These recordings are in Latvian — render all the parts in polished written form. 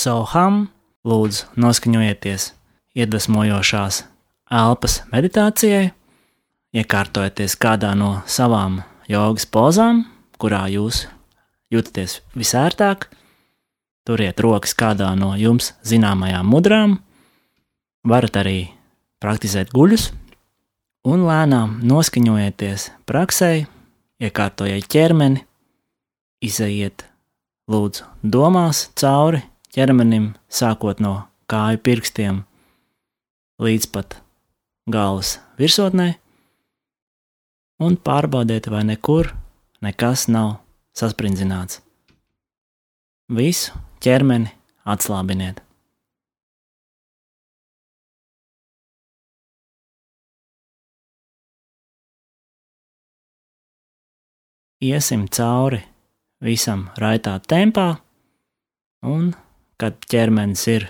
Soham. Lūdzu, noskaņojieties iedvesmojošās elpas meditācijai, iekārtojieties kādā no savām jogas pozām, kurā jūs jūtaties visērtāk. Turiet rokas kādā no jums zināmajām mudrām, varat arī praktizēt guļus un lēnām noskaņojieties praksē, iekārtojiet ķermeni, izejiet lūdzu domās cauri ķermenim, sākot no kāju pirkstiem līdz pat galvas virsotnē, un pārbaudiet, vai nekur nekas nav sasprindzināts. Visu ķermeni atslābiniet. Iesim cauri visam raitā tempā, un, kad ķermenis ir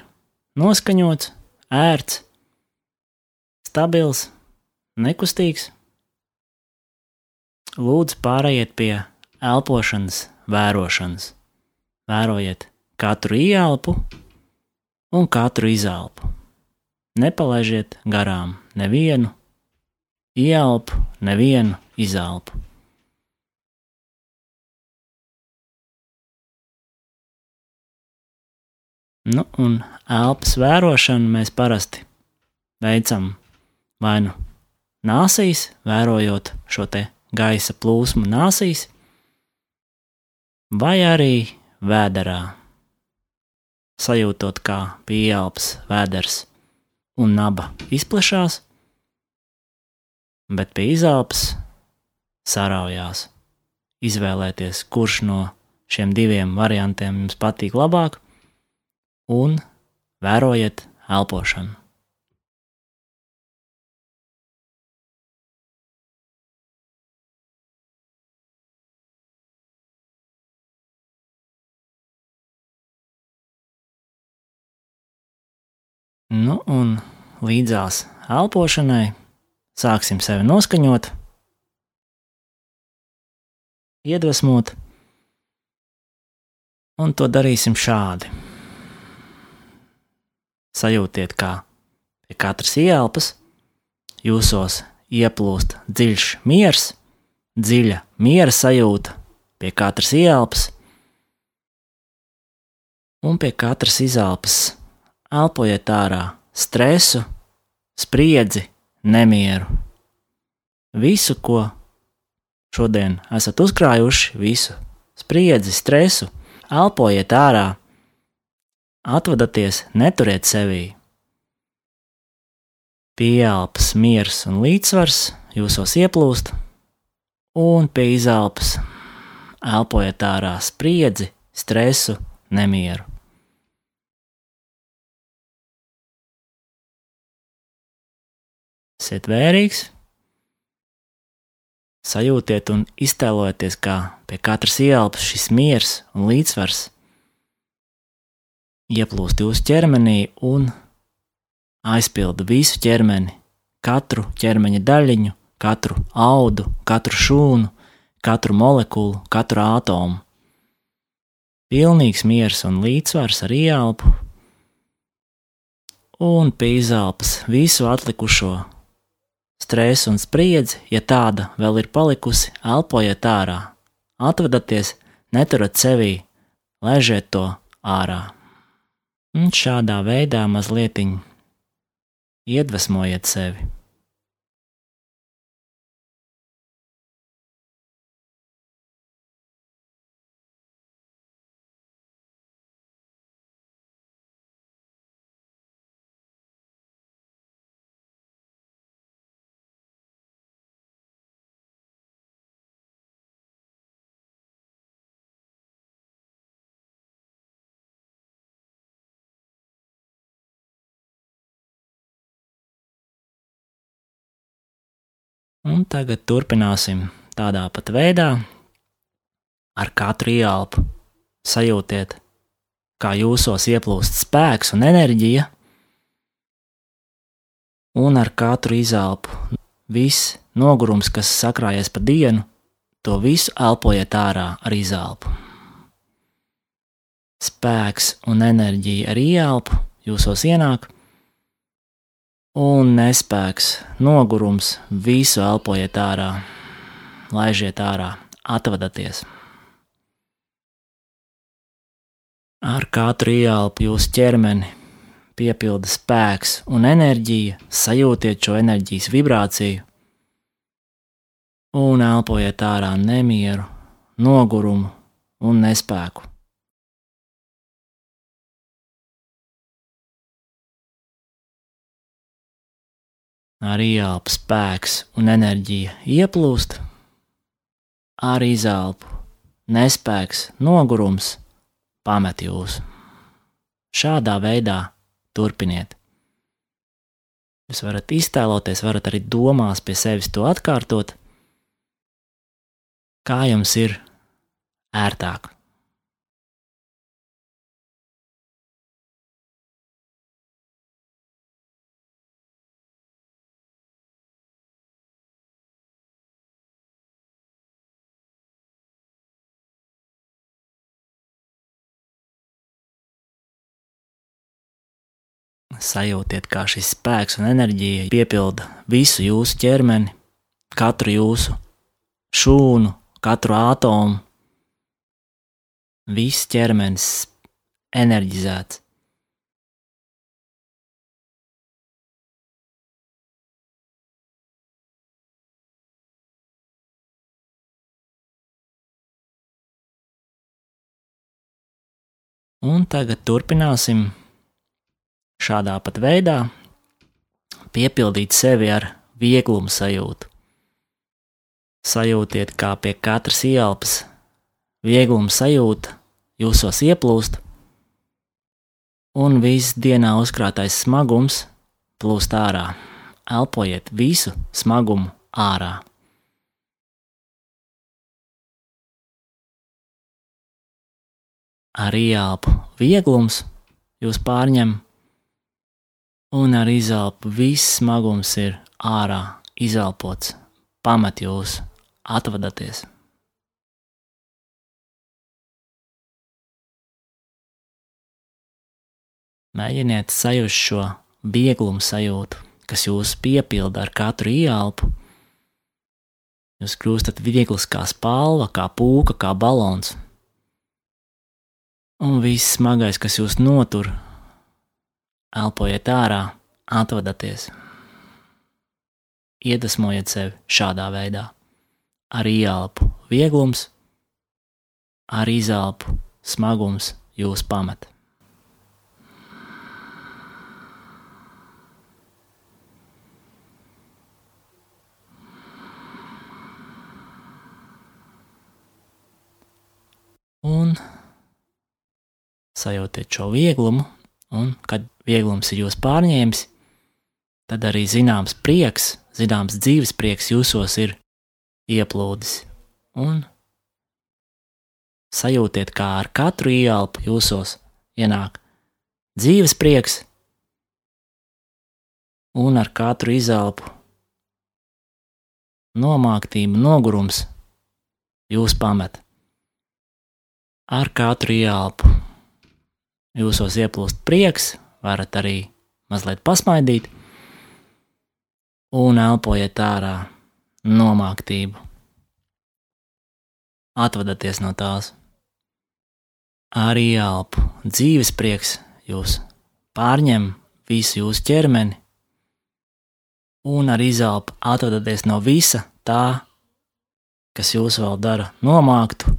noskaņots, ērts, stabils, nekustīgs, lūdzu pārējiet pie elpošanas vērošanas. Vērojiet katru ieelpu un katru izelpu. Nepalaižiet garām nevienu ieelpu, nevienu izelpu. Un elpas vērošanu mēs parasti veicam vai nu nāsīs, vērojot šo te gaisa plūsmu nāsīs, vai arī vēderā, sajūtot, kā pie ieelpas vēders un naba izplešās, bet pie izelpas saraujās. Izvēlēties, kurš no šiem diviem variantiem jums patīk labāk, un vērojiet elpošanu. Un līdzās elpošanai sāksim sevi noskaņot, iedvesmot, un to darīsim šādi. Sajūtiet, kā pie katras ieelpas jūsos ieplūst dziļš miers, dziļa miera sajūta pie katras ieelpas, un pie katras izelpas elpojiet ārā stresu, spriedzi, nemieru. Visu, ko šodien esat uzkrājuši, visu spriedzi, stresu, elpojiet ārā. Atvadaties, neturiet sevī. Pie ieelpas miers un līdzsvars jūsos ieplūst, un pie izelpas elpojiet ārā spriedzi, stresu, nemieru. Esiet vērīgs, sajūtiet un iztēlojieties, kā pie katras ieelpas šis miers un līdzsvars ieplūst jūsu ķermenī un aizpilda visu ķermeni, katru ķermeņa daļiņu, katru audu, katru šūnu, katru molekulu, katru ātomu. Pilnīgs miers un līdzsvars ar ieelpu, un pie izelpas visu atlikušo stresu un spriedzi, ja tāda vēl ir palikusi, elpojiet ārā. Atvadaties, neturat sevī, laižiet to ārā. Un šādā veidā mazlietiņ iedvesmojiet sevi. Un tagad turpināsim tādā pat veidā. Ar katru ieelpu sajūtiet, kā jūsos ieplūst spēks un enerģija, un ar katru izelpu viss nogurums, kas sakrājies pa dienu, to visu elpojiet ārā ar izelpu. spēks un enerģija ar ieelpu jūsos ienāk, un nespēks, nogurums visu elpojiet ārā, laižiet ārā, atvadaties. Ar katru ieelpu jūsu ķermeni piepilda spēks un enerģija, sajūtiet šo enerģijas vibrāciju un elpojiet ārā nemieru, nogurumu un nespēku. Ar ieelpu spēks un enerģija ieplūst, ar izelpu nespēks, nogurums pamet jūs. Šādā veidā turpiniet. Jūs varat iztēloties, varat arī domās pie sevis to atkārtot, kā jums ir ērtāk. Sajūtiet, kā šis spēks un enerģija piepilda visu jūsu ķermeni, katru jūsu šūnu, katru atomu. Viss ķermenis enerģizēts. Un tagad turpināsim šādā pat veidā piepildīt sevi ar vieglumu sajūtu. Sajūtiet, kā pie katras ieelpas viegluma sajūta jūsos ieplūst, un viss dienā uzkrātais smagums plūst ārā. Elpojiet visu smagumu ārā. Ar ieelpu vieglums jūs pārņem, un ar izelpu viss smagums ir ārā, izelpots, pamet jūs, atvadaties. Mēģiniet sajust šo vieglumu sajūtu, kas jūs piepilda ar katru ieelpu. Jūs kļūstat viegls kā spalva, kā pūka, kā balons. Un viss smagais, kas jūs notur, elpojiet ārā, atvadaties. Iedvesmojiet sevi šādā veidā. Ar ieelpu vieglums, ar izelpu smagums jūs pamet. Un sajūtiet šo vieglumu, un kad vieglums ir jūs pārņēmis, tad arī zināms prieks, zināms dzīves prieks jūsos ir ieplūdis. Un sajūtiet, kā ar katru ieelpu jūsos ienāk dzīves prieks, un ar katru izelpu nomāktība, nogurums jūs pamet. Ar katru ieelpu jūsos ieplūst prieks, varat arī mazliet pasmaidīt, un elpojiet ārā nomāktību. Atvadaties no tās. Ar ieelpu dzīves prieks jūs pārņem visu jūsu ķermeni, un ar izelpu atvadaties no visa tā, kas jūs vēl dara nomāktu,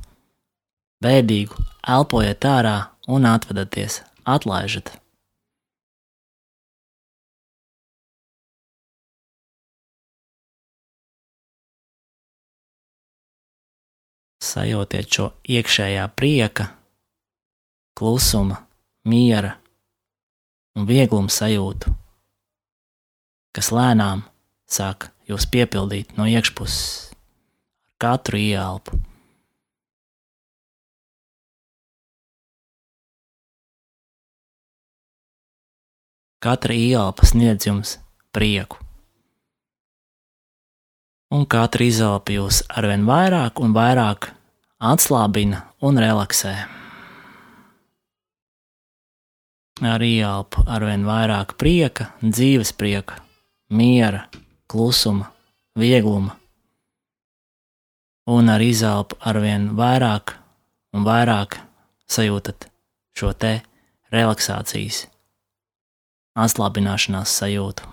bēdīgu, elpojiet ārā un atvadaties, atlaižat. Sajūtiet šo iekšējā prieka, klusuma, miera un viegluma sajūtu, kas lēnām sāk jūs piepildīt no iekšpuses ar katru ieelpu. Katra ieelpa sniedz jums prieku. Un katra izelpa jūs arvien vairāk un vairāk atslābina un relaksē. ar ieelpu arvien vairāk prieka, dzīves prieka, miera, klusuma, viegluma, un ar izelpu arvien vairāk un vairāk sajūtat šo te relaksācijas, atslābināšanās sajūtu.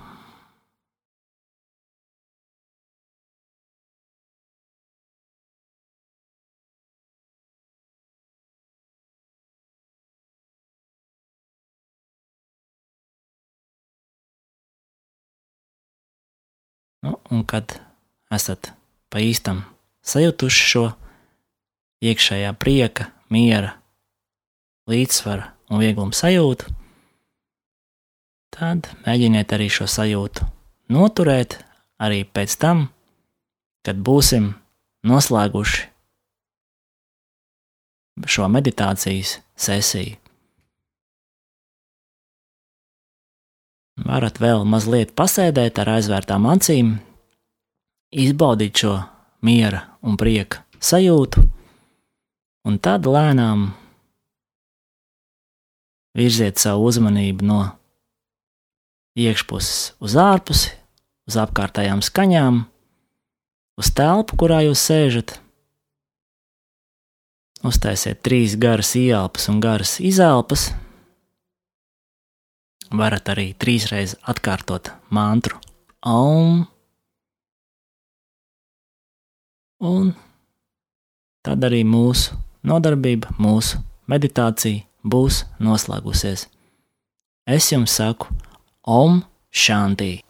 Un kad esat pa īstam sajutuši šo iekšējā prieka, miera, līdzsvara un viegluma sajūtu, tad mēģiniet arī šo sajūtu noturēt arī pēc tam, kad būsim noslēguši šo meditācijas sesiju. Varat vēl mazliet pasēdēt ar aizvērtām acīm, izbaudīt šo miera un prieka sajūtu, un tad lēnām virziet savu uzmanību no iekšpuses uz ārpusi, uz apkārtējām skaņām, uz telpu, kurā jūs sēžat. Uztaisiet 3 garas ieelpas un garas izelpas. Varat arī 3 reizes atkārtot mantru Om. Un tad arī mūsu nodarbība, mūsu meditācija būs noslēgusies. Es jums saku Om Shanti.